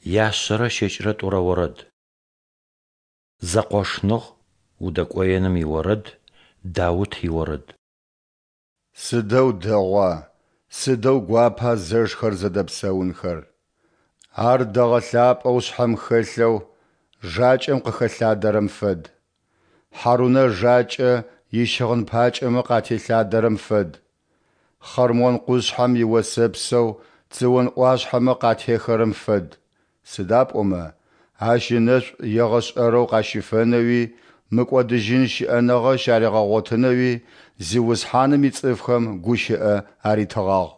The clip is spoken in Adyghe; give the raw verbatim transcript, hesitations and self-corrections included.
Яшъэрэ щэкӏрэ тӏурэ орэд. Зэкъошныгъ, удэкӏоеным иорэд, Даут иорэд. Сыдэу дэгъуа, сыдэу гуапа зэшхэр зэдэпсэунхэр! Ар дэгъэ лъапӏэу шъхьэм хэлъэу, жакӏэм къыхэлъадэрэм фэд. Хьарунэ жакӏэ ищыгъын пакӏэмэ къателъадэрэм фэд, Хъэрмон къушъхьэм иосэпсэу Цыон ӏуашъхьэмэ къатехырэм фэд, сыда пӏомэ Ащ ынэшӏу егъэшӏэрэу къащифэнэуи мыкӏодыжьын щыӏэныгъэ щаригъэгъотынэуи Зиусхьаным ицӏыфхэм гущыӏэ аритыгъагъ.